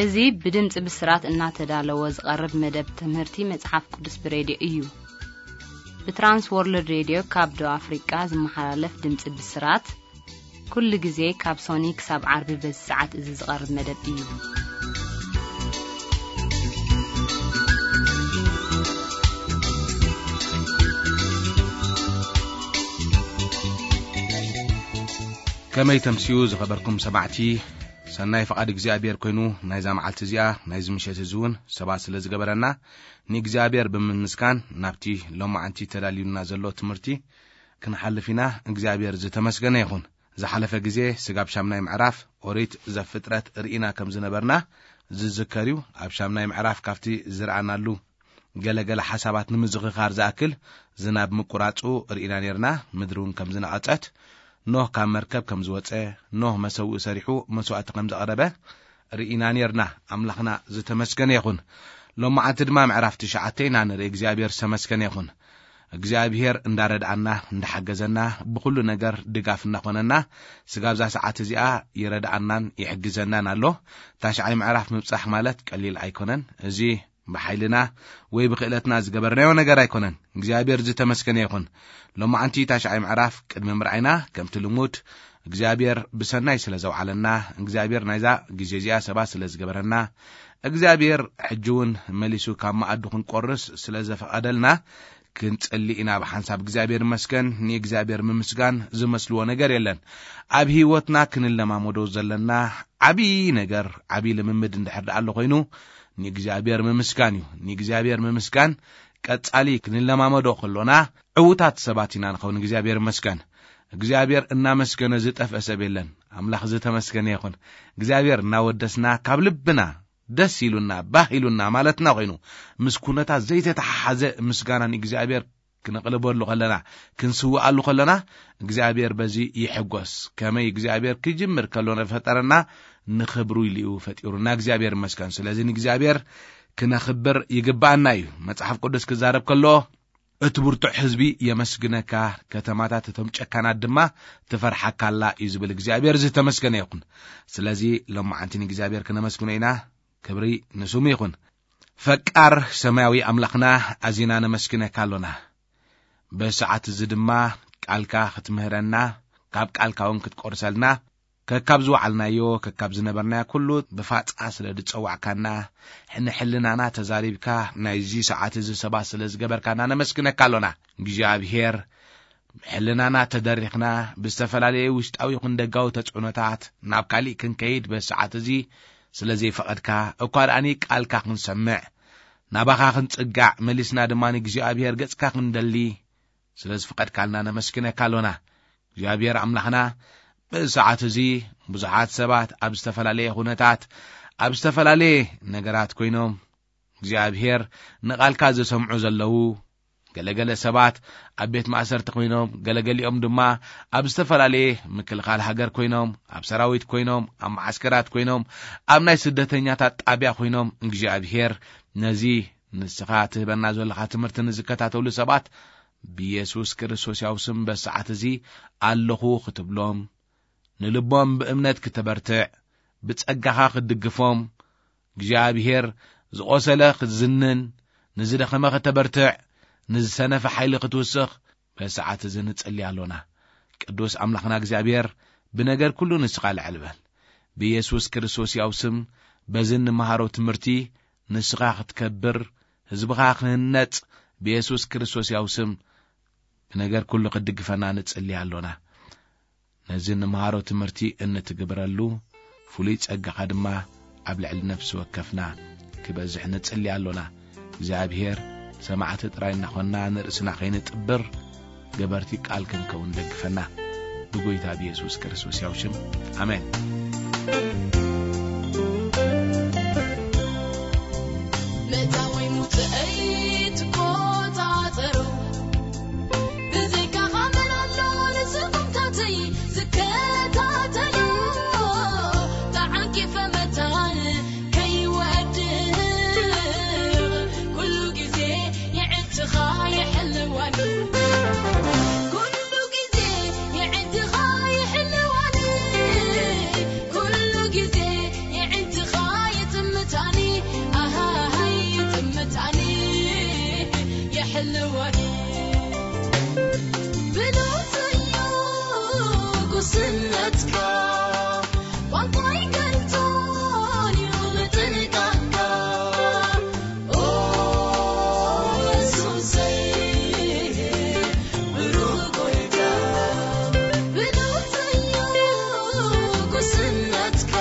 እዚ ብድምፂ ብስራት እናተዳለወ ዝቐርብ መደብ ትምህርቲ መጽሓፍ ቅዱስ ብሬድዮ እዩ። ብትራንስ ወርልድ ሬድዮ ካብ ደቡብ ኣፍሪቃ ዝመሓላለፍ ድምፂ ብስራት፣ ኩሉ ግዜ ካብ ሶኒ ክሳብ ዓርቢ በዚ ሰዓት እዚ ዝቐርብ መደብ እዩ። ከመይ ተምስዩ ዝኸበርኩም ሰማዕቲ፣ ሰናይ ፍቓድ እግዚኣብሔር ኮይኑ ናይዛ መዓልቲ እዚኣ፣ ናይዚ ምሸት እዚ እውን ሰባት ስለ ዝገበረና፣ ንእግዚኣብሔር ብምምስጋን ናብቲ ሎማዓንቲ ተዳልዩና ዘሎ ትምህርቲ ክንሓልፍ ኢና። እግዚኣብሔር ዝተመስገነ ይኹን። ዝሓለፈ ግዜ ስጋብ ሻምናይ ምዕራፍ ኦሪት ዘፍጥረት ርኢና ከም ዝነበርና ዝዝከር እዩ። ኣብ ሻምናይ ምዕራፍ ካብቲ ዝረኣናሉ ገለገለ ሓሳባት ንምዝኽኻር ዝኣክል፣ ዝናብ ምቁራጹ ርኢና ኔርና፣ ምድሪ እውን ከም ዝነቐጸት፣ ኖህ ካብ መርከብ ከም ዝወጸ፣ ኖህ መሰውኢ ሰሪሑ መስዋእቲ ከም ዘቕረበ ርኢና ኔርና። ኣምላኽና ዝተመስገነ ይኹን። ሎማዓንቲ ድማ ምዕራፍ ትሽዓተ ኢና ንርኢ። እግዚኣብሔር ዝተመስገነ ይኹን። እግዚኣብሔር እንዳረድኣና፣ እንዳሓገዘና፣ ብኹሉ ነገር ድጋፍ እናኾነና፣ ስጋብ እዛ ሰዓት እዚኣ ይረድኣናን ይሕግዘናን ኣሎ። ታሽዓይ ምዕራፍ ምብጻሕ ማለት ቀሊል ኣይኮነን። እዚ ብሓይልና ወይ ብክእለትና ዝገበርናዮ ነገር ኣይኮነን። እግዚኣብሔር ዝተመስገነ ይኹን። ሎማዓንቲ ታሽዓይ ምዕራፍ ቅድሚ ምርኣይና፣ ከምቲ ልሙድ እግዚኣብሔር ብሰናይ ስለ ዘውዓለና፣ እግዚኣብሔር ናይዛ ግዜ እዚኣ ሰባት ስለ ዝገበረና፣ እግዚኣብሔር ሕጂ እውን መሊሱ ካብ መኣዱ ክንቆርስ ስለ ዘፈቐደልና፣ ክንጽሊ ኢና ብሓንሳብ። እግዚኣብሔር ይመስገን። ንእግዚኣብሔር ምምስጋን ዝመስልዎ ነገር የለን። ኣብ ህይወትና ክንለማመዶ ዘለና ዓብዪ ነገር፣ ዓብዪ ልምምድ እንድሕር ደኣ ኣሎ ኮይኑ፣ ንእግዚኣብሔር ምምስጋን እዩ። ንእግዚኣብሔር ምምስጋን ቀጻሊ ክንለማመዶ ከሎና፣ ዕዉታት ሰባት ኢና ንኸውን። እግዚኣብሔር ይመስገን። እግዚኣብሔር እናመስገነ ዝጠፍአ ሰብ የለን። ኣምላኽ ዝተመስገነ ይኹን። እግዚኣብሔር እናወደስና፣ ካብ ልብና ደስ ኢሉና፣ ባህ ኢሉና ማለትና ኮይኑ፣ ምስ ኩነታት ዘይተተሓሓዘ ምስጋና ንእግዚኣብሔር ክነቕልበሉ ከለና፣ ክንስውኣሉ ከለና፣ እግዚኣብሔር በዚ ይሕጎስ። ከመይ እግዚኣብሔር ክጅምር ከሎ ንፈጠረና ንኽብሩ ኢሉ እዩ ፈጢሩና። እግዚኣብሔር ይመስገን። ስለዚ ንእግዚኣብሔር ክነኽብር ይግባኣና እዩ። መጽሓፍ ቅዱስ ክዛረብ ከሎ፣ "እቲ ብርቱዕ ህዝቢ የመስግነካ፣ ከተማታት እቶም ጨካናት ድማ ትፈርሓካ ኣላ" እዩ ዝብል። እግዚኣብሔር ዝተመስገነ ይኹን። ስለዚ ሎማዓንቲ ንእግዚኣብሔር ክነመስግኖ ኢና። ክብሪ ንስሙ ይኹን። ፈቃር ሰማያዊ ኣምላኽና፣ ኣዚና ነመስግነካ ኣሎና። በዚ ሰዓት እዚ ድማ ቃልካ ክትምህረና፣ ካብ ቃልካ እውን ክትቆርሰልና፣ ከካብ ዝወዓልናዮ፣ ከካብ ዝነበርናዮ ኩሉ ብፋጻ ስለ ዝጸዋዕካና፣ ንሕልናና ተዛሪብካ፣ ናይዚ ሰዓት እዚ ሰባት ስለ ዝገበርካና ነመስግነካ ኣሎና። እግዚኣብሔር፣ ሕልናና ተደሪኽና፣ ብዝተፈላለየ ውሽጣዊ ይኹን ደጋዊ ተጽዕኖታት ናብ ካሊእ ክንከይድ በዚ ሰዓት እዚ ስለ ዘይፈቐድካ፣ እኳ ደኣኒ ቃልካ ክንሰምዕ፣ ናባኻ ክንጽጋዕ፣ መሊስና ድማ ንእግዚኣብሔር ገጽካ ክንደሊ ስለ ዝፈቐድካልና ነመስግነካ ኣሎና። እግዚኣብሔር ኣምላኽና፣ በዚ ሰዓት እዚ ብዙሓት ሰባት ኣብ ዝተፈላለየ ኩነታት፣ ኣብ ዝተፈላለየ ነገራት ኮይኖም፣ እግዚኣብሔር ንቓልካ ዝሰምዑ ዘለዉ፣ ገለገለ ሰባት ኣብ ቤት ማእሰርቲ ኮይኖም፣ ገለገሊኦም ድማ ኣብ ዝተፈላለየ ምክልኻል ሃገር ኮይኖም፣ ኣብ ሰራዊት ኮይኖም፣ ኣብ መዓስከራት ኮይኖም፣ ኣብ ናይ ስደተኛታት ጣብያ ኮይኖም፣ እግዚኣብሔር ነዚ ንስኻ ትህበና ዘለኻ ትምህርቲ ንዝከታተሉ ሰባት ብየሱስ ክርስቶስ ያው ስም በዚ ሰዓት እዚ ኣለኹ ክትብሎም፣ ንልቦም ብእምነት ክተበርትዕ፣ ብጸጋኻ ክትድግፎም፣ እግዚኣብሔር ዝቖሰለ ክትዝንን፣ ንዝደኸመ ከተበርትዕ፣ ንዝሰነፈ ሓይሊ ክትውስኽ በዚ ሰዓት እዚ ንጽሊ ኣሎና። ቅዱስ ኣምላኽና እግዚኣብሔር፣ ብነገር ኩሉ ንስኻ ልዕል በል። ብየሱስ ክርስቶስ ያው ስም በዚ እንመሃሮ ትምህርቲ ንስኻ ክትከብር፣ ህዝብኻ ክህነጽ፣ ብየሱስ ክርስቶስ ያው ስም ብነገር ኩሉ ክትድግፈና ንጽሊ ኣሎና። ነዚ እንመሃሮ ትምህርቲ እንትግብረሉ፣ ፍሉይ ጸጋኻ ድማ ኣብ ልዕሊ ነፍሲ ወከፍና ክበዝሕ ንጽሊ ኣሎና። እግዚኣብሔር ሰማዕቲ ጥራይ እናኾንና ንርእስና ከይንጥብር፣ ገበርቲ ቃል ክንከውን ደግፈና። ብጎይታ ብየሱስ ክርስቶስ ያው ሽም፣ ኣሜን። መእታወይ ሙጽእይ ትቆጻጸሮ፣ ብዘይካኻ መን ኣሎ ንስጉምታተይ ዝከታተሎ? ተዓንቂፈ መታን ከይወድቕ፣ ኩሉ ግዜ የዕትኻ ይሕልዋኒ። ኩሉ ግዜ የዕትኻ ይሕልዋኒ። ኩሉ ግዜ የዕትኻ ይጥምት ቋንቋይ ከንቶን እዩ ምጥንቃቕካ። ኦ የሱሰይ፣ ብሩኽ ጎይታ፣ ብሉጽ እዩ ጉስነትካ።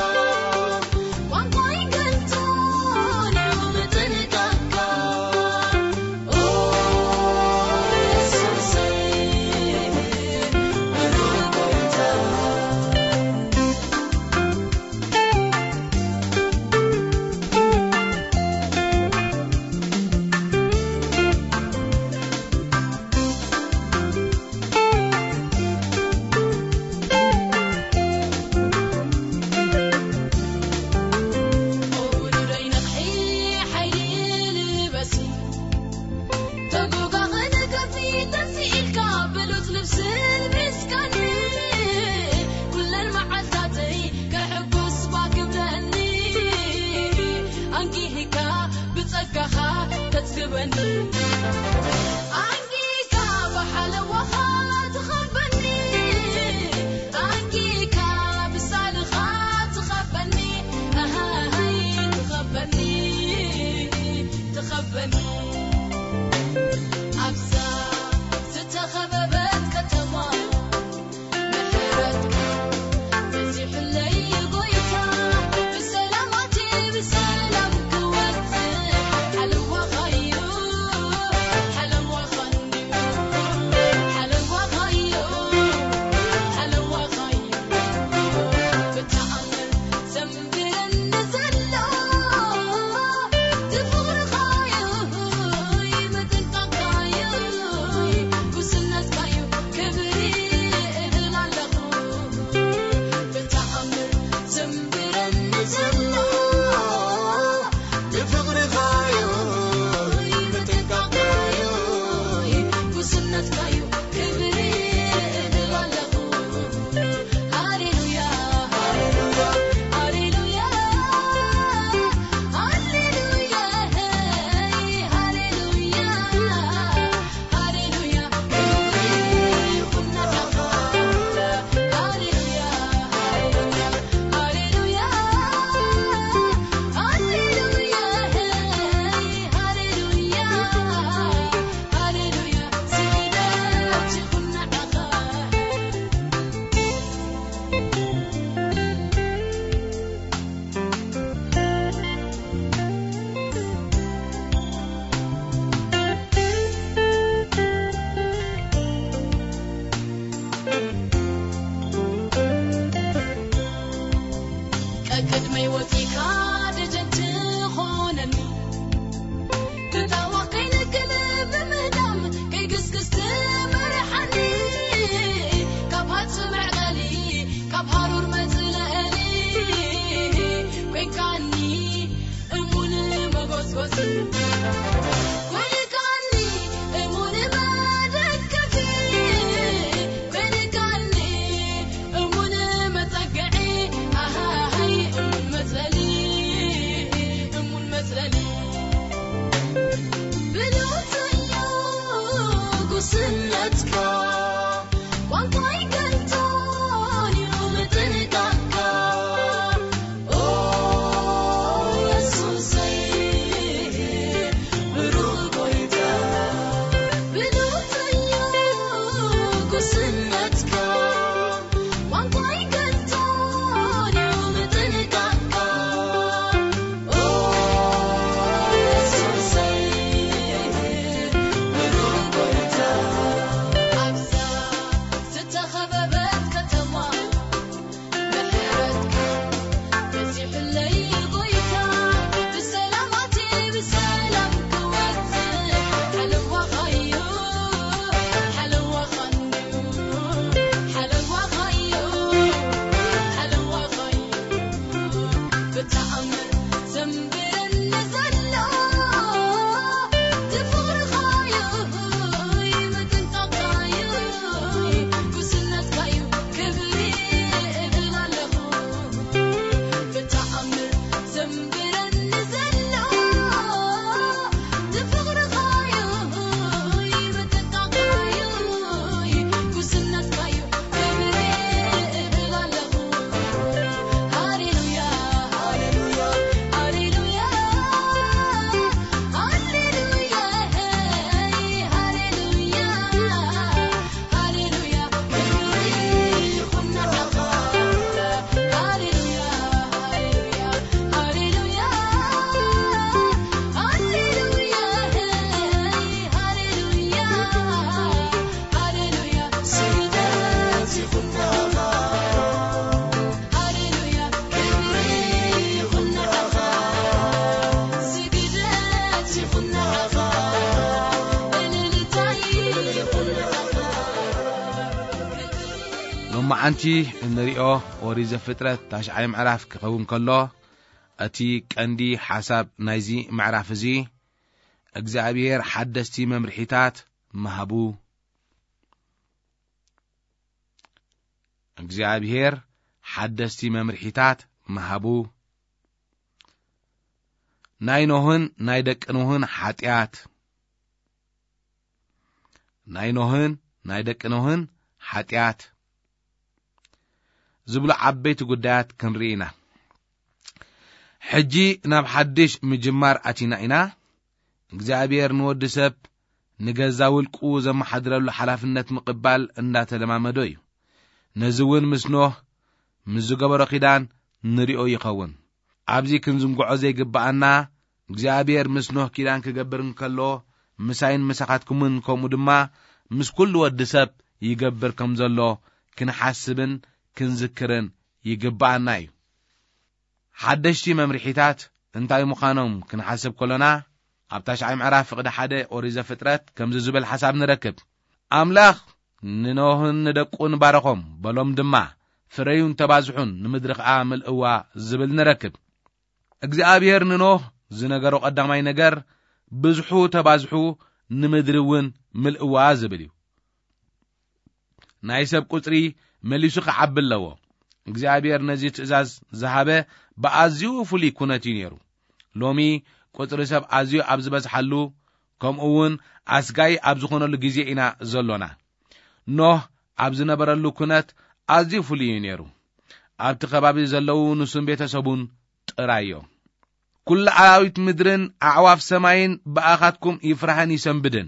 ቋንቋይ ከንቶን እዩ ምጥንቃቕካ። ተጎጋኽን ከፊት ተስኢልካ ብሉጽ ልብስን ምስጋን ኩለን መዓልታተይ ከሕጉስ ባክብለኒ ኣንጊህካ ብጸጋኻ ተጽግበኒ ኣንጊህካ ብሓለዋኻ ትኸበኒ ኣንጊህካ ብሳልኻ ትኸበኒ ኣሃሃይ ትኸበኒ ትኸበኒ ኣብዛ ዝተኸበበት ከተማ ምሕረትካ በዚሑለይ ጎይታ ብሰላማት ብሰላም ክወፅእ ሓለዋኻዩ ሓለዋኻ እንድዩ ሓለዋኻዩ ሓለዋኻዩ ብተኣምር ዘንብረኒ ዘሎ እቲ ፍቕርኻዩ ምጥንቃቕካዩ ጉስነትካዩ ክብሪ እብል ኣለኹ ብተኣምር ዘንብረኒ ዘሎ እቲ ፍቕርኻዩ ምጥንቃቕካዩ ጉስነትካዩ ክብሪ እብል ኣለኹ ሃሌሉያ ሃሌሉያ ሃሌሉያ ሃሌሉያ ሃሌሉያ ሃሌሉያ ክብሪ ይኹን ንዓኻ ሃሌሉያ ሃሌሉያ ሃሌሉያ ሃሌሉያ ሃሌሉያ ስግደት ይኹን ንዓኻ ቀቅድመይ ወፂካ ደጀን ትኾነኒ ክጣዋኽ ከይንክን ብምህዳም ከይግስግስ ትመርሓኒ ካብ ሃጽ መዕቀሊ ካብ ሃሩር መጽለሊ ኮይንካኒ እሙን መጎስጎሲ ኮይንካኒ እሙን መደገፊ ኮይንካኒ እሙን መጸግዒ ኣሃሃይ እሙን መጽለሊ ሎማዓንቲ እንሪኦ ኦሪት ዘፍጥረት ታሽዓይ ምዕራፍ ክኸውን ከሎ፣ እቲ ቀንዲ ሓሳብ ናይዚ ምዕራፍ እዚ እግዚኣብሔር ሓደስቲ መምርሒታት ምሃቡ። እግዚኣብሔር ሓደስቲ መምርሒታት ምሃቡ። ናይ ኖህን ናይ ደቂ ኖህን ሓጢኣት። ናይ ኖህን ናይ ደቂ ኖህን ሓጢኣት ዝብሉ ዓበይቲ ጉዳያት ክንርኢ ኢና። ሕጂ ናብ ሓድሽ ምጅማር ኣቲና ኢና። እግዚኣብሔር ንወዲ ሰብ ንገዛ ውልቁ ዘመሓድረሉ ሓላፍነት ምቕባል እንዳተለማመዶ እዩ። ነዚ እውን ምስ ኖህ ምስ ዝገበሮ ኪዳን ንሪኦ ይኸውን። ኣብዚ ክንዝንግዖ ዘይግብኣና፣ እግዚኣብሔር ምስ ኖህ ኪዳን ክገብር እንከሎ፣ ምሳይን ምሳኻትኩምን ከምኡ ድማ ምስ ኩሉ ወዲ ሰብ ይገብር ከም ዘሎ ክንሓስብን ክንዝክርን ይግብኣና እዩ። ሓደሽቲ መምርሒታት እንታይ ምዃኖም ክንሓስብ ከሎና፣ ኣብ ታሽዓይ ምዕራፍ ፍቕዲ ሓደ ኦሪት ዘፍጥረት ከምዚ ዝብል ሓሳብ ንረክብ። ኣምላኽ ንኖህን ንደቁን ባረኾም፣ በሎም ድማ፣ "ፍረዩን ተባዝሑን፣ ንምድሪ ኸኣ ምልእዋ" ዝብል ንረክብ። እግዚኣብሔር ንኖህ ዝነገሮ ቀዳማይ ነገር፣ "ብዝሑ ተባዝሑ፣ ንምድሪ እውን ምልእዋ" ዝብል እዩ። ናይ ሰብ ቁጽሪ መሊሱ ክዓቢ ኣለዎ። እግዚኣብሔር ነዚ ትእዛዝ ዝሃበ ብኣዝዩ ፍሉይ ኩነት እዩ ነይሩ። ሎሚ ቁጽሪ ሰብ ኣዝዩ ኣብ ዝበዝሓሉ፣ ከምኡ እውን ኣስጋኢ ኣብ ዝኾነሉ ግዜ ኢና ዘሎና። ኖህ ኣብ ዝነበረሉ ኩነት ኣዝዩ ፍሉይ እዩ ነይሩ። ኣብቲ ከባቢ ዘለዉ ንሱን ቤተሰቡን ጥራይ እዮም። "ኩሉ ኣራዊት ምድርን ኣዕዋፍ ሰማይን ብኣኻትኩም ይፍራህን ይሰንብድን።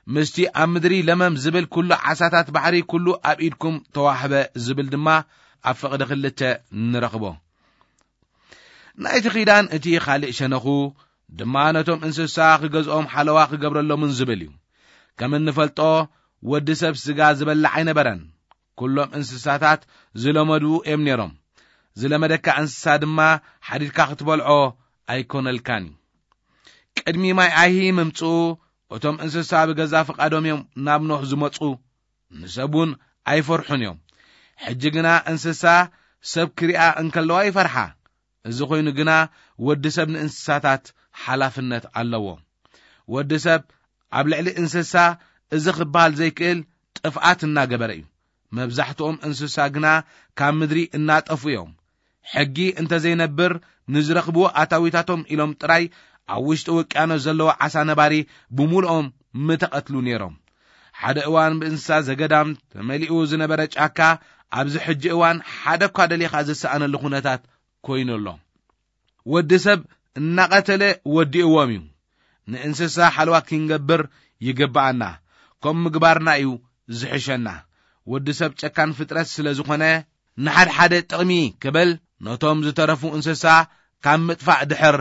ምስቲ ኣብ ምድሪ ለመም ዝብል ኩሉ ዓሳታት ባሕሪ ኩሉ ኣብ ኢድኩም ተዋህበ" ዝብል ድማ ኣብ ፍቕዲ ክልተ ንረኽቦ። ናይቲ ኪዳን እቲ ካልእ ሸነኹ ድማ ነቶም እንስሳ ክገዝኦም ሓለዋ ክገብረሎምን ዝብል እዩ። ከም እንፈልጦ ወዲ ሰብ ስጋ ዝበልዕ ኣይነበረን። ኩሎም እንስሳታት ዝለመዱ እዮም ነይሮም። ዝለመደካ እንስሳ ድማ ሓዲድካ ክትበልዖ ኣይኮነልካን እዩ። ቅድሚ ማይ ኣይሂ ምምጽኡ እቶም እንስሳ ብገዛ ፍቓዶም እዮም ናብ ኖህ ዝመጹ። ንሰብ እውን ኣይፈርሑን እዮም። ሕጂ ግና እንስሳ ሰብ ክሪኣ እንከለዋ ይፈርሓ። እዚ ኮይኑ ግና ወዲ ሰብ ንእንስሳታት ሓላፍነት ኣለዎ። ወዲ ሰብ ኣብ ልዕሊ እንስሳ እዚ ክበሃል ዘይክእል ጥፍኣት እናገበረ እዩ። መብዛሕትኦም እንስሳ ግና ካብ ምድሪ እናጠፉ እዮም። ሕጊ እንተዘይነብር ንዝረኽብዎ ኣታዊታቶም ኢሎም ጥራይ ኣብ ውሽጢ ውቅያኖስ ዘለዎ ዓሳ ነባሪ ብምሉኦም ምተቐትሉ ነይሮም። ሓደ እዋን ብእንስሳ ዘገዳም ተመሊኡ ዝነበረ ጫካ ኣብዚ ሕጂ እዋን ሓደ እኳ ደሊኻ ዝሰኣነሉ ኩነታት ኮይኑ ኣሎ። ወዲ ሰብ እናቐተለ ወዲእዎም እዩ። ንእንስሳ ሓለዋ ክንገብር ይግብኣና። ከም ምግባርና እዩ ዝሕሸና። ወዲ ሰብ ጨካን ፍጥረት ስለ ዝኾነ ንሓድሓደ ጥቕሚ ክብል ነቶም ዝተረፉ እንስሳ ካብ ምጥፋእ ድሕር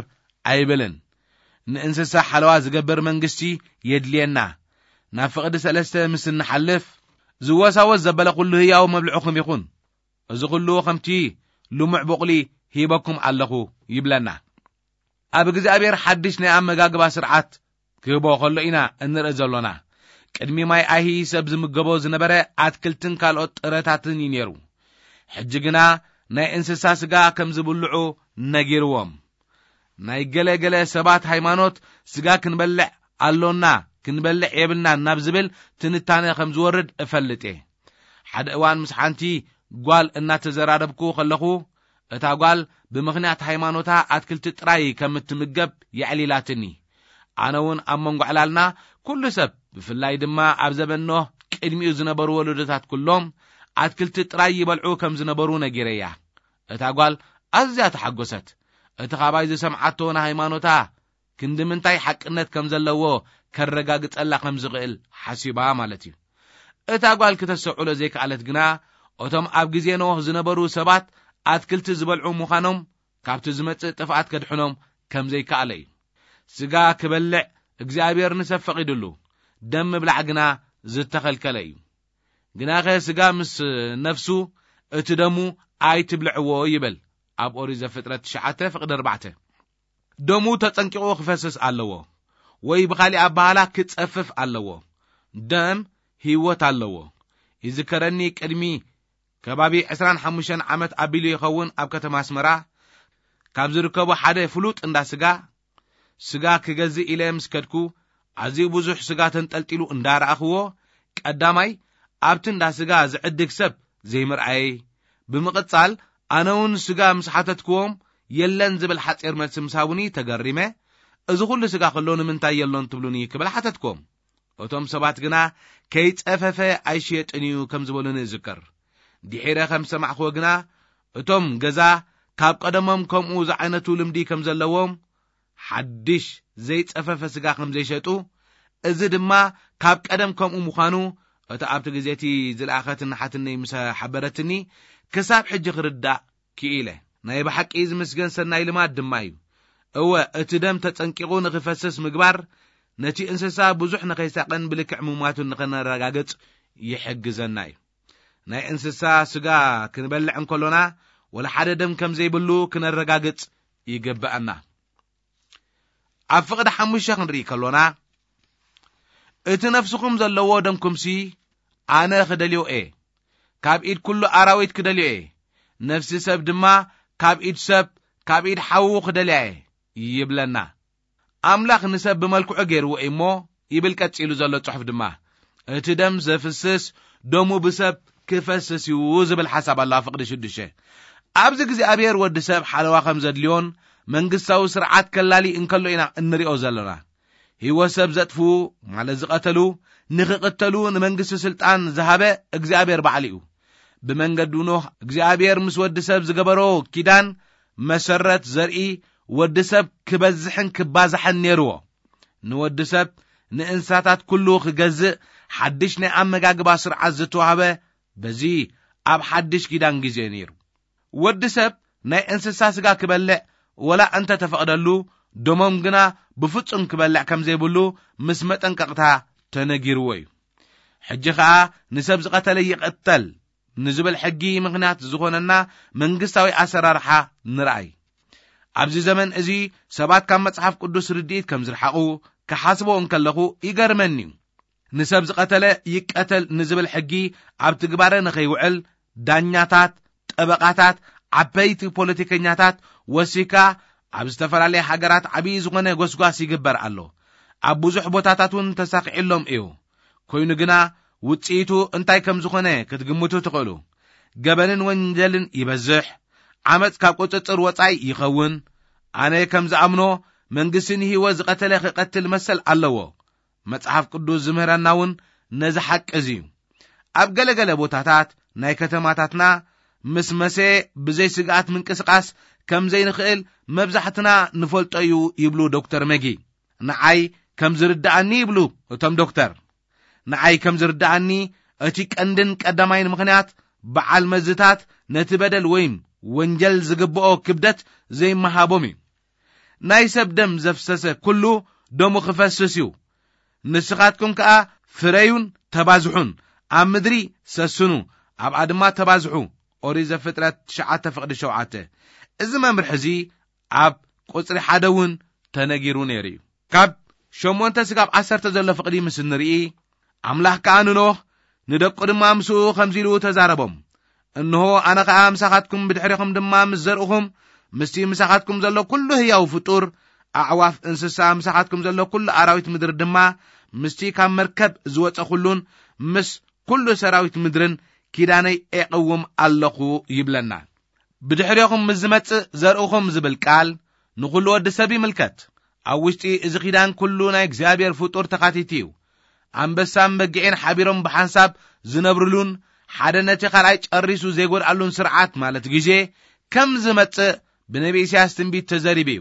ኣይብልን። ንእንስሳ ሓለዋ ዝገብር መንግስቲ የድልየና። ናብ ፍቕዲ ሰለስተ ምስ እንሓልፍ ዝወሳወስ ዘበለ ኩሉ ህያው መብልዕኹም ይኹን። እዚ ኩሉ ከምቲ ልሙዕ ቡቕሊ ሂበኩም ኣለኹ ይብለና። ኣብ እግዚኣብሔር ሓድሽ ናይ ኣመጋግባ ስርዓት ክህቦ ከሎ ኢና እንርኢ ዘሎና። ቅድሚ ማይ ኣይሂ ሰብ ዝምገቦ ዝነበረ ኣትክልትን ካልኦት ጥረታትን እዩ ነይሩ። ሕጂ ግና ናይ እንስሳ ስጋ ከም ዝብልዑ ነጊርዎም። ናይ ገለ ገለ ሰባት ሃይማኖት ስጋ ክንበልዕ ኣሎና፣ ክንበልዕ የብልናን ናብ ዝብል ትንታነ ከም ዝወርድ እፈልጥ እየ። ሓደ እዋን ምስ ሓንቲ ጓል እናተዘራረብኩ ከለኹ፣ እታ ጓል ብምኽንያት ሃይማኖታ ኣትክልቲ ጥራይ ከም እትምገብ የዕሊላትኒ። ኣነ እውን ኣብ መንጎ ዕላልና ኩሉ ሰብ፣ ብፍላይ ድማ ኣብ ዘበን ኖህ ቅድሚኡ ዝነበሩ ወለዶታት ኩሎም ኣትክልቲ ጥራይ ይበልዑ ከም ዝነበሩ ነጊረያ። እታ ጓል ኣዝያ ተሓጎሰት። እቲ ካባይ ዝሰምዓቶ ንሃይማኖታ ክንዲ ምንታይ ሓቅነት ከም ዘለዎ ከረጋግጸላ ከም ዝኽእል ሓሲባ ማለት እዩ። እታ ጓል ክተስተውዕሎ ዘይከኣለት ግና፣ እቶም ኣብ ግዜ ኖህ ዝነበሩ ሰባት ኣትክልቲ ዝበልዑ ምዃኖም ካብቲ ዝመጽእ ጥፍኣት ከድሕኖም ከም ዘይከኣለ እዩ። ስጋ ክበልዕ እግዚኣብሔር ንሰብ ፈቒዱሉ፣ ደም ምብላዕ ግና ዝተኸልከለ እዩ። ግናኸ ስጋ ምስ ነፍሱ፣ እቲ ደሙ ኣይትብልዕዎ ይብል ኣብ ኦሪት ዘፍጥረት ትሽዓተ ፍቕዲ ኣርባዕተ። ደሙ ተጸንቂቑ ክፈስስ ኣለዎ፣ ወይ ብኻሊእ ኣበሃላ ክጸፍፍ ኣለዎ። ደም ህይወት ኣለዎ። ይዝከረኒ ቅድሚ ከባቢ ዕስራን ሓሙሽተን ዓመት ኣቢሉ ይኸውን ኣብ ከተማ ኣስመራ ካብ ዝርከቡ ሓደ ፍሉጥ እንዳ ስጋ፣ ስጋ ክገዝእ ኢለ ምስ ከድኩ፣ ኣዝዩ ብዙሕ ስጋ ተንጠልጢሉ እንዳረኣኽዎ፣ ቀዳማይ ኣብቲ እንዳ ስጋ ዝዕድግ ሰብ ዘይምርኣየይ፣ ብምቕጻል ኣነ እውን ስጋ ምስ ሓተትክዎም፣ የለን ዝብል ሓጺር መልሲ ምስ ሃቡኒ ተገሪመ፣ "እዚ ኩሉ ስጋ ከሎ ንምንታይ የሎን ትብሉኒ?" ክብል ሓተትክዎም። እቶም ሰባት ግና፣ "ከይጸፈፈ ኣይሽየጥን እዩ" ከም ዝበሉኒ እዝከር። ድሒረ ከም ዝሰማዕክዎ ግና፣ እቶም ገዛ ካብ ቀደሞም ከምኡ ዝዓይነቱ ልምዲ ከም ዘለዎም፣ ሓድሽ ዘይጸፈፈ ስጋ ከም ዘይሸጡ፣ እዚ ድማ ካብ ቀደም ከምኡ ምዃኑ፣ እቲ ኣብቲ ግዜ እቲ ዝለኣኸትኒ ሓትነይ ምስ ሓበረትኒ፣ ክሳብ ሕጂ ክርዳእ ክኢለ። ናይ ብሓቂ ዝምስገን ሰናይ ልማድ ድማ እዩ። እወ፣ እቲ ደም ተጸንቂቑ ንኽፈስስ ምግባር፣ ነቲ እንስሳ ብዙሕ ንኸይሳቐን ብልክዕ ምሟቱን ንኸነረጋግጽ ይሕግዘና እዩ። ናይ እንስሳ ስጋ ክንበልዕ እንከሎና፣ ወላ ሓደ ደም ከም ዘይብሉ ክነረጋግጽ ይግብኣና። ኣብ ፍቕዲ ሓሙሽተ ክንርኢ ከሎና፣ "እቲ ነፍስኹም ዘለዎ ደምኩምሲ ኣነ ክደልዮ እየ፣ ካብ ኢድ ኩሉ ኣራዊት ክደልዮ እየ፣ ነፍሲ ሰብ ድማ ካብ ኢድ ሰብ፣ ካብ ኢድ ሓዉ ክደልያ እየ" ይብለና። ኣምላኽ ንሰብ ብመልክዑ ገይርዎ እዩ እሞ፣ ይብል ቀጺሉ ዘሎ ጽሑፍ ድማ፣ "እቲ ደም ዘፍስስ ደሙ ብሰብ ክፈስስ እዩ" ዝብል ሓሳብ ኣሎ ኣብ ፍቕዲ ሽዱሽተ። ኣብዚ እግዚኣብሔር ወዲ ሰብ ሓለዋ ከም ዘድልዮን መንግስታዊ ስርዓት ከላሊ እንከሎ ኢና እንሪኦ ዘለና። ህይወት ሰብ ዘጥፍኡ፣ ማለት ዝቐተሉ፣ ንኽቕተሉ ንመንግስቲ ስልጣን ዝሃበ እግዚኣብሔር ባዕሉ እዩ። ብመንገዱ ኖህ እግዚኣብሔር ምስ ወዲ ሰብ ዝገበሮ ኪዳን መሰረት ዘርኢ ወዲ ሰብ ክበዝሕን ክባዛሕን ነይርዎ። ንወዲ ሰብ ንእንስሳታት ኩሉ ክገዝእ ሓድሽ ናይ ኣመጋግባ ስርዓት ዝተዋህበ በዚ ኣብ ሓድሽ ኪዳን ግዜ ነይሩ። ወዲ ሰብ ናይ እንስሳ ስጋ ክበልዕ ወላ እንተ ተፈቕደሉ፣ ደሞም ግና ብፍጹም ክበልዕ ከም ዘይብሉ ምስ መጠንቀቕታ ተነጊርዎ እዩ። ሕጂ ኸኣ ንሰብ ዝቐተለ ይቕተል ንዝብል ሕጊ ምኽንያት ዝኾነና መንግስታዊ ኣሰራርሓ ንርኣይ። ኣብዚ ዘመን እዚ ሰባት ካብ መጽሓፍ ቅዱስ ርድኢት ከም ዝረሓቑ ክሓስቦ እንከለኹ ይገርመኒ እዩ። ንሰብ ዝቐተለ ይቀተል ንዝብል ሕጊ ኣብ ትግባረ ንኸይውዕል ዳኛታት፣ ጠበቓታት፣ ዓበይቲ ፖለቲከኛታት ወሲካ ኣብ ዝተፈላለየ ሃገራት ዓብዪ ዝኾነ ጎስጓስ ይግበር ኣሎ። ኣብ ብዙሕ ቦታታት እውን ተሳኺዕሎም እዩ። ኮይኑ ግና ውጽኢቱ እንታይ ከም ዝኾነ ክትግምቱ ትኽእሉ። ገበንን ወንጀልን ይበዝሕ፣ ዓመጽ ካብ ቁጽጽር ወጻኢ ይኸውን። ኣነ ከም ዝኣምኖ መንግስቲ ንህይወት ዝቐተለ ክቐትል መሰል ኣለዎ። መጽሓፍ ቅዱስ ዝምህረና እውን ነዚ ሓቂ እዚ እዩ። ኣብ ገለገለ ቦታታት ናይ ከተማታትና ምስ መሰ ብዘይ ስግኣት ምንቅስቓስ ከም ዘይንኽእል መብዛሕትና ንፈልጦ እዩ ይብሉ ዶክተር መጊ። ንዓይ ከም ዝርድኣኒ ይብሉ እቶም ዶክተር፣ ንዓይ ከም ዝርድኣኒ እቲ ቀንድን ቀዳማይን ምኽንያት በዓል መዝታት ነቲ በደል ወይም ወንጀል ዝግብኦ ክብደት ዘይመሃቦም እዩ። ናይ ሰብ ደም ዘፍሰሰ ኩሉ ደሙ ክፈስስ እዩ። ንስኻትኩም ከኣ ፍረዩን ተባዝሑን፣ ኣብ ምድሪ ሰስኑ፣ ኣብኣ ድማ ተባዝሑ። ኦሪት ዘፍጥረት ትሽዓተ ፍቕዲ ሸውዓተ። እዚ መምርሒ እዚ ኣብ ቁጽሪ ሓደ እውን ተነጊሩ ነይሩ እዩ። ካብ ሸሞንተ ስጋብ ዓሰርተ ዘሎ ፍቕዲ ምስ እንርኢ፣ ኣምላኽ ከኣ ንኖህ ንደቁ ድማ ምስኡ ከምዚ ኢሉ ተዛረቦም፣ "እንሆ ኣነ ኸኣ ምሳኻትኩም ብድሕሬኹም ድማ ምስ ዘርእኹም ምስቲ ምሳኻትኩም ዘሎ ኩሉ ህያው ፍጡር፣ ኣዕዋፍ፣ እንስሳ፣ ምሳኻትኩም ዘሎ ኩሉ ኣራዊት ምድሪ ድማ ምስቲ ካብ መርከብ ዝወጸ ኩሉን ምስ ኩሉ ሰራዊት ምድርን ኪዳነይ ኤቕውም ኣለኹ" ይብለና። ብድሕሬኹም ምስ ዝመጽእ ዘርእኹም ዝብል ቃል ንኹሉ ወዲ ሰብ ይምልከት። ኣብ ውሽጢ እዚ ኪዳን ኩሉ ናይ እግዚኣብሔር ፍጡር ተኻቲቲ እዩ። ኣንበሳን በጊዕን ሓቢሮም ብሓንሳብ ዝነብርሉን ሓደ ነቲ ካልኣይ ጨሪሱ ዘይጎድኣሉን ስርዓት ማለት ግዜ ከም ዝመጽእ ብነቢ ኢሳያስ ትንቢት ተዘሪቡ እዩ።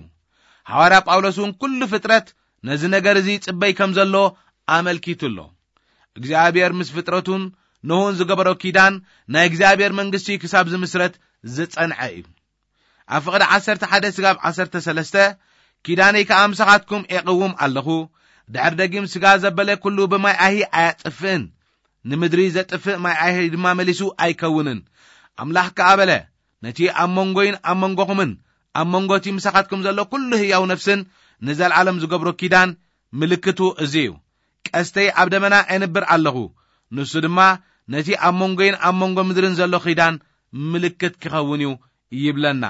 ሃዋርያ ጳውሎስ እውን ኩሉ ፍጥረት ነዚ ነገር እዚ ይጽበይ ከም ዘሎ ኣመልኪቱ ኣሎ። እግዚኣብሔር ምስ ፍጥረቱን ኖህን ዝገበሮ ኪዳን ናይ እግዚኣብሔር መንግስቲ ክሳብ ዝምስረት ዝጸንዐ እዩ። ኣብ ፍቕዲ ዓሰርተ ሓደ ስጋብ ዓሰርተ ሰለስተ፣ "ኪዳነይ ከኣ ምሳኻትኩም ኤቕውም ኣለኹ፣ ድሕሪ ደጊም ስጋ ዘበለ ኩሉ ብማይ ኣሂ ኣያጥፍእን፣ ንምድሪ ዘጥፍእ ማይ ኣሂ ድማ መሊሱ ኣይከውንን። ኣምላኽ ከኣ በለ፣ ነቲ ኣብ መንጎይን ኣብ መንጎኹምን ኣብ መንጎ እቲ ምሳኻትኩም ዘሎ ኩሉ ህያው ነፍስን ንዘለዓለም ዝገብሮ ኪዳን ምልክቱ እዚ እዩ። ቀስተይ ኣብ ደመና ኣነብር ኣለኹ፣ ንሱ ድማ ነቲ ኣብ መንጎይን ኣብ መንጎ ምድርን ዘሎ ኺዳን ምልክት ክኸውን እዩ ይብለና።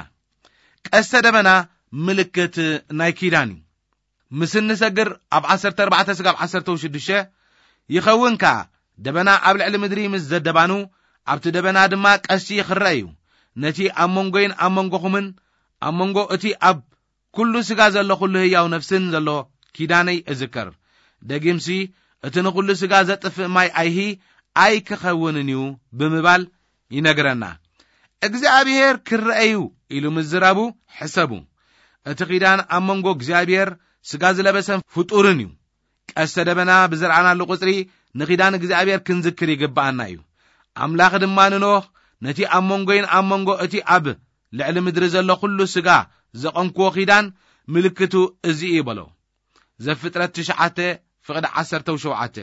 ቀስተ ደበና ምልክት ናይ ኪዳን እዩ። ምስ እንሰግር ኣብ ዓሰርተ ኣርባዕተ ስጋብ ዓሰርተ ሽዱሽተ ይኸውን ከኣ፣ ደበና ኣብ ልዕሊ ምድሪ ምስ ዘደባኑ፣ ኣብቲ ደበና ድማ ቀስቲ ይኽረእ እዩ። ነቲ ኣብ መንጎይን ኣብ መንጎኹምን ኣብ መንጎ እቲ ኣብ ኩሉ ስጋ ዘሎ ኩሉ ህያው ነፍስን ዘሎ ኪዳነይ እዝከር። ደጊምሲ፣ እቲ ንኹሉ ስጋ ዘጥፍእ ማይ ኣይሂ ኣይክኸውንን እዩ ብምባል ይነግረና። እግዚኣብሔር ክረአዩ ኢሉ ምዝራቡ ሕሰቡ። እቲ ኪዳን ኣብ መንጎ እግዚኣብሔር ስጋ ዝለበሰን ፍጡርን እዩ። ቀስተ ደበና ብዝረኣናሉ ቁጽሪ ንኪዳን እግዚኣብሔር ክንዝክር ይግብኣና እዩ። ኣምላኽ ድማ ንኖህ፣ ነቲ ኣብ መንጎይን ኣብ መንጎ እቲ ኣብ ልዕሊ ምድሪ ዘሎ ኩሉ ስጋ ዘቐንክዎ ኪዳን ምልክቱ እዚ እዩ በሎ። ዘፍጥረት ትሽዓተ ፍቕዲ ዓሰርተ ሸውዓተ።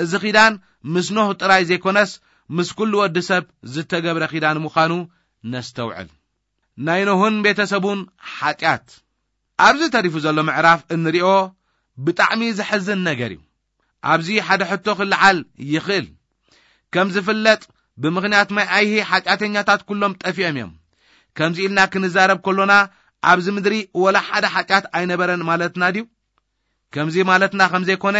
እዚ ኪዳን ምስ ኖህ ጥራይ ዘይኮነስ፣ ምስ ኩሉ ወዲ ሰብ ዝተገብረ ኪዳን ምዃኑ ነስተውዕል። ናይ ኖህን ቤተሰቡን ሓጢኣት። ኣብዚ ተሪፉ ዘሎ ምዕራፍ እንሪኦ ብጣዕሚ ዘሕዝን ነገር እዩ። ኣብዚ ሓደ ሕቶ ክለዓል ይኽእል። ከም ዝፍለጥ፣ ብምኽንያት ማይ ኣይሂ ሓጢኣተኛታት ኩሎም ጠፊኦም እዮም። ከምዚ ኢልና ክንዛረብ ከሎና፣ ኣብዚ ምድሪ ወላ ሓደ ሓጢኣት ኣይነበረን ማለትና ድዩ? ከምዚ ማለትና ከም ዘይኮነ፣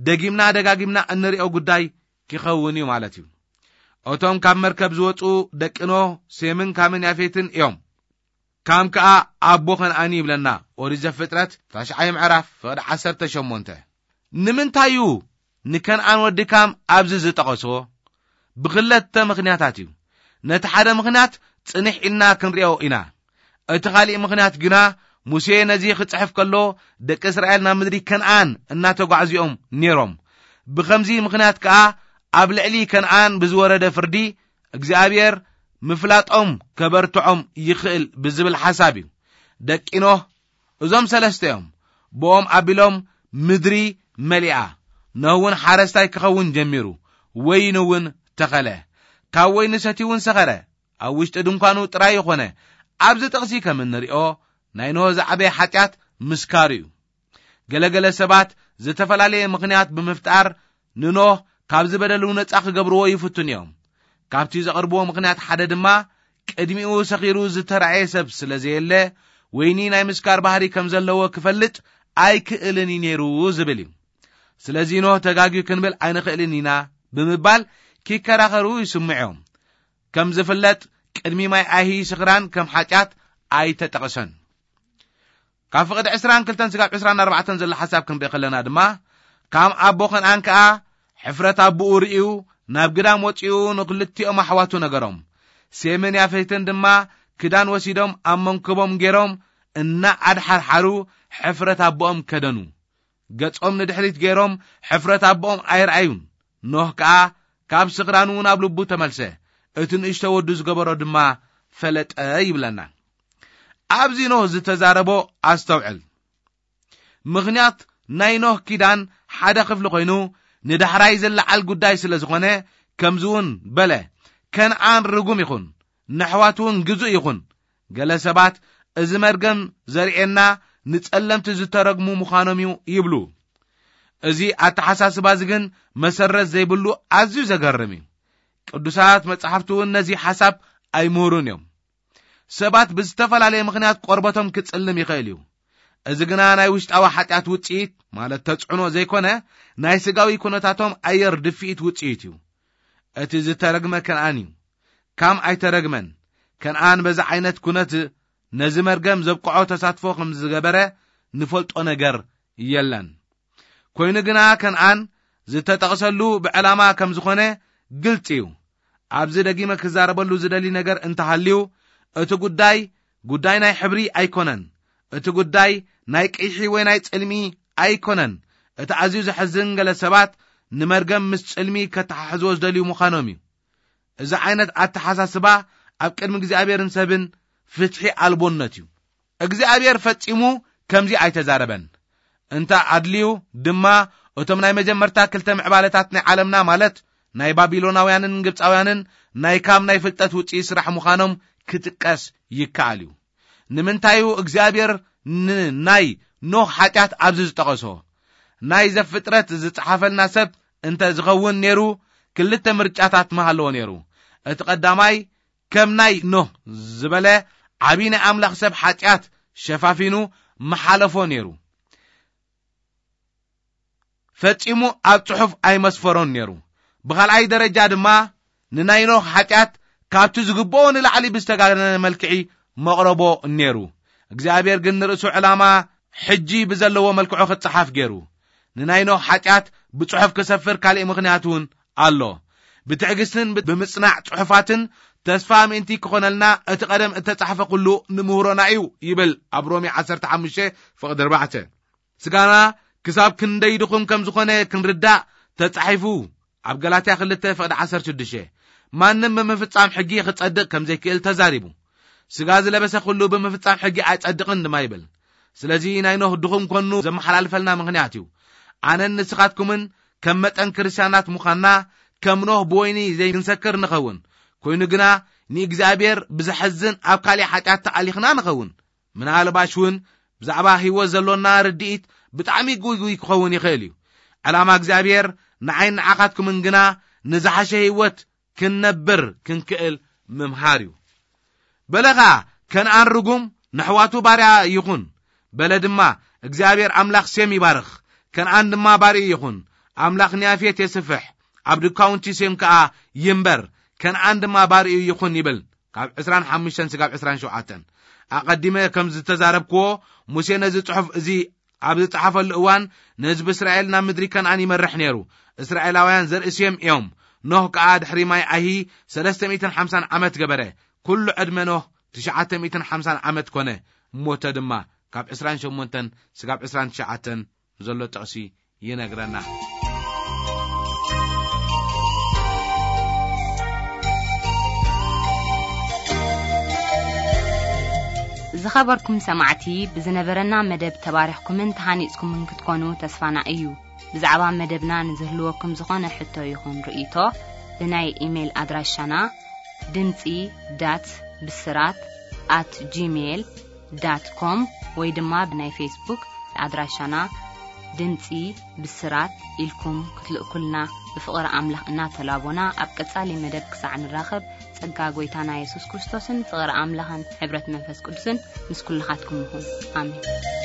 ደጊምና ደጋጊምና እንሪኦ ጉዳይ ክኸውን እዩ ማለት እዩ። እቶም ካብ መርከብ ዝወጹ ደቂ ኖህ፣ ሴምን ካምን ያፌትን እዮም። ካም ከኣ ኣቦ ከነኣን ይብለና ኦሪት ዘፍጥረት ታሽዓይ ምዕራፍ ፍቕዲ ዓሰርተ ሸሞንተ። ንምንታይ እዩ ንከነኣን ወዲ ካም ኣብዚ ዝጠቐሶ? ብኽለተ ምኽንያታት እዩ። ነቲ ሓደ ምኽንያት ጽንሕ ኢልና ክንሪኦ ኢና። እቲ ካልእ ምኽንያት ግና፣ ሙሴ ነዚ ክጽሕፍ ከሎ፣ ደቂ እስራኤል ናብ ምድሪ ከነኣን እናተጓዕዙ እዮም ነይሮም። ብኸምዚ ምኽንያት ከኣ፣ ኣብ ልዕሊ ከነኣን ብዝወረደ ፍርዲ፣ እግዚኣብሔር ምፍላጦም ከበርትዖም ይኽእል ብዝብል ሓሳብ እዩ። ደቂ ኖህ እዞም ሰለስተ እዮም። ብኦም ኣቢሎም ምድሪ መሊኣ። ኖህ እውን ሓረስታይ ክኸውን ጀሚሩ፣ ወይኒ እውን ተኸለ። ካብ ወይኒ ሰትዩ እውን ሰኸረ። ኣብ ውሽጢ ድንኳኑ ጥራይ ይኾነ። ኣብዚ ጥቕሲ ከም እንሪኦ፣ ናይ ኖህ ዝዓበየ ሓጢኣት ምስካሩ እዩ። ገለገለ ሰባት ዝተፈላለየ ምኽንያት ብምፍጣር ንኖህ ካብዚ በደሉ ነጻ ክገብርዎ ይፍትኑ እዮም። ካብቲ ዘቕርብዎ ምኽንያት ሓደ ድማ፣ ቅድሚኡ ሰኺሩ ዝተራእየ ሰብ ስለ ዘየለ፣ ወይኒ ናይ ምስካር ባህሪ ከም ዘለዎ ክፈልጥ ኣይክእልን እዩ ነይሩ ዝብል እዩ። ስለዚ ኖህ ተጋግዩ ክንብል ኣይንኽእልን ኢና ብምባል ክከራኸሩ ይስምዑ እዮም። ከም ዝፍለጥ፣ ቅድሚ ማይ ኣይሂ ስኽራን ከም ሓጢኣት ኣይተጠቕሰን። ካብ ፍቕዲ ዕስራን ክልተን ስጋብ ዕስራን ኣርባዕተን ዘሎ ሓሳብ ክንርኢ ከለና ድማ፣ ካም ኣቦ ከነኣን ከኣ ሕፍረት ኣቦኡ ርእዩ ናብ ግዳም ወጺኡ ንኽልቲኦም ኣሕዋቱ ነገሮም። ሴምን ያፌትን ድማ ክዳን ወሲዶም ኣብ መንክቦም ገይሮም እናኣድሓርሓሩ ሕፍረት ኣቦኦም ከደኑ። ገጾም ንድሕሪት ገይሮም ሕፍረት ኣቦኦም ኣይረኣዩን። ኖህ ከኣ ካብ ስኽራኑ ናብ ልቡ ተመልሰ። እቲ ንእሽቶ ወዱ ዝገበሮ ድማ ፈለጠ ይብለና። ኣብዚ ኖህ ዝተዛረቦ ኣስተውዕል። ምኽንያት ናይ ኖህ ኪዳን ሓደ ክፍሊ ኮይኑ፣ ንዳሕራይ ዝለዓል ጉዳይ ስለ ዝኾነ፣ ከምዚ እውን በለ፣ ከነኣን ርጉም ይኹን፣ ንኣሕዋቱ እውን ግዙእ ይኹን። ገለ ሰባት፣ እዚ መርገም ዘርእየና ንጸለምቲ ዝተረግሙ ምዃኖም እዩ ይብሉ። እዚ ኣተሓሳስባ እዚ ግን መሰረት ዘይብሉ ኣዝዩ ዘገርም እዩ። ቅዱሳት መጻሕፍቲ እውን ነዚ ሓሳብ ኣይምህሩን እዮም። ሰባት ብዝተፈላለየ ምኽንያት ቆርበቶም ክጽልም ይኽእል እዩ። እዚ ግና ናይ ውሽጣዊ ሓጢኣት ውጽኢት፣ ማለት ተጽዕኖ ዘይኮነ፣ ናይ ስጋዊ ኩነታቶም ኣየር ድፍኢት ውጽኢት እዩ። እቲ ዝተረግመ ከነኣን እዩ። ካም ኣይተረግመን። ከነኣን በዚ ዓይነት ኩነት ነዚ መርገም ዘብቅዖ ተሳትፎ ከም ዝገበረ ንፈልጦ ነገር የለን። ኮይኑ ግና ከነኣን ዝተጠቕሰሉ ብዕላማ ከም ዝኾነ ግልጺ እዩ። ኣብዚ ደጊመ ክዛረበሉ ዝደሊ ነገር እንተሃልዩ፣ እቲ ጉዳይ፣ ጉዳይ ናይ ሕብሪ ኣይኮነን። እቲ ጉዳይ ናይ ቅይሒ ወይ ናይ ጽልሚ ኣይኮነን። እቲ ኣዝዩ ዘሕዝን፣ ገለ ሰባት ንመርገም ምስ ጽልሚ ከተሓሕዝዎ ዝደልዩ ምዃኖም እዩ። እዚ ዓይነት ኣተሓሳስባ ኣብ ቅድሚ እግዚኣብሔርን ሰብን ፍትሒ ኣልቦነት እዩ። እግዚኣብሔር ፈጺሙ ከምዚ ኣይተዛረበን። እንተ ኣድልዩ ድማ፣ እቶም ናይ መጀመርታ ክልተ ምዕባለታት ናይ ዓለምና፣ ማለት ናይ ባቢሎናውያንን ግብጻውያንን፣ ናይ ካም ናይ ፍልጠት ውጽኢት ስራሕ ምዃኖም ክጥቀስ ይከኣል እዩ። ንምንታይ እዩ እግዚኣብሔር ንናይ ኖህ ሓጢኣት ኣብዚ ዝጠቐሶ? ናይ ዘፍጥረት ዝጸሓፈልና ሰብ እንተ ዝኸውን ነይሩ፣ ክልተ ምርጫታት ምሃለዎ ነይሩ። እቲ ቀዳማይ ከም ናይ ኖህ ዝበለ ዓቢ ናይ ኣምላኽ ሰብ ሓጢኣት ሸፋፊኑ ምሓለፎ ነይሩ። ፈጺሙ ኣብ ጽሑፍ ኣይመስፈሮን ነይሩ። ብኻልኣይ ደረጃ ድማ ንናይ ኖህ ሓጢኣት ካብቲ ዝግብኦ ንላዕሊ ብዝተጋነነ መልክዒ መቕረቦ ነይሩ። እግዚኣብሔር ግን ንርእሱ ዕላማ ሕጂ ብዘለዎ መልክዑ ክጸሓፍ ገይሩ። ንናይ ኖህ ሓጢኣት ብጽሑፍ ክሰፍር ካልእ ምኽንያት እውን ኣሎ። ብትዕግስትን ብ-፣ ብምጽናዕ ጽሑፋትን ተስፋ ምእንቲ ክኾነልና እቲ ቀደም እተጻሕፈ ኩሉ ንምህሮና እዩ ይብል ኣብ ሮሜ ዓሰርተ ሓሙሽተ ፍቕዲ ኣርባዕተ። ስጋና ክሳብ ክንደይ ድኹም ከም ዝኾነ ክንርዳእ ተጻሒፉ ኣብ ገላትያ ክልተ ፍቕዲ ዓሰርተ ሽዱሽተ። ማንም ብምፍጻም ሕጊ ክጸድቕ ከም ዘይክእል ተዛሪቡ። ስጋ ዝለበሰ ኩሉ ብምፍጻም ሕጊ ኣይጸድቕን ድማ ይብል። ስለዚ ናይ ኖህ ድኹም ኮኑ ዘመሓላልፈልና ምኽንያት እዩ። ኣነን ንስኻትኩምን ከም መጠን ክርስትያናት ምዃንና ከም ኖህ ብወይኒ ዘይክንሰክር ንኸውን። ኮይኑ ግና ንእግዚኣብሔር ብዘሐዝን ኣብ ካልእ ሓጢኣት ተኣሊኽና ንኸውን። ምናልባሽ እውን ብዛዕባ ህይወት ዘሎና ርድኢት ብጣዕሚ ጉይጉይ ክኸውን ይኽእል እዩ። ዕላማ እግዚኣብሔር ንዓይን ንዓኻትኩምን ግና ንዝሓሸ ህይወት ክንነብር ክንክእል ምምሃር እዩ። በለ ኸኣ ከነኣን ርጉም ንሕዋቱ ባርያ ይኹን። በለ ድማ እግዚኣብሔር ኣምላኽ ሴም ይባርኽ፣ ከነኣን ድማ ባርዩ ይኹን። ኣምላኽ ንያፌት የስፍሕ፣ ኣብ ድካውንቲ ሴም ከኣ ይንበር፣ ከነኣን ድማ ባርዩ ይኹን ይብል። ካብ ዕስራን ሓሙሽተን ስጋብ ዕስራን ሸውዓተን። ኣቐዲመ ከም ዝተዛረብክዎ ሙሴ ነዚ ጽሑፍ እዚ ኣብ ዝጸሓፈሉ እዋን ንህዝቢ እስራኤል ናብ ምድሪ ከነኣን ይመርሕ ነይሩ። እስራኤላውያን ዘርኢ ሴም እዮም። ኖህ ከኣ ድሕሪ ማይ ኣይሂ ሰለስተ ሚእትን ሓምሳን ዓመት ገበረ። ኩሉ ዕድመ ኖህ ትሽዓተ ሚእትን ሓምሳን ዓመት ኮነ። ሞተ ድማ። ካብ ዕስራን ሸሞንተን ስጋብ ዕስራን ትሽዓተን ዘሎ ጥቕሲ ይነግረና። ዝኸበርኩም ሰማዕቲ፣ ብዝነበረና መደብ ተባሪኽኩምን ተሃኒጽኩምን ክትኮኑ ተስፋና እዩ። ብዛዕባ መደብና ንዝህልወኩም ዝኾነ ሕቶ ይኹን ርእይቶ፣ ብናይ ኢሜይል ኣድራሻና ድምጺ ዳት ብስራት ኣት ጂሜይል ዳት ኮም ወይ ድማ ብናይ ፌስቡክ ኣድራሻና ድምጺ ብስራት ኢልኩም ክትልእኩልና ብፍቕሪ ኣምላኽ እናተላቦና፣ ኣብ ቀጻሊ መደብ ክሳዕ ንራኸብ፣ ጸጋ ጐይታና የሱስ ክርስቶስን ፍቕሪ ኣምላኽን ሕብረት መንፈስ ቅዱስን ምስ ኩልኻትኩም ይኹን። ኣሜን።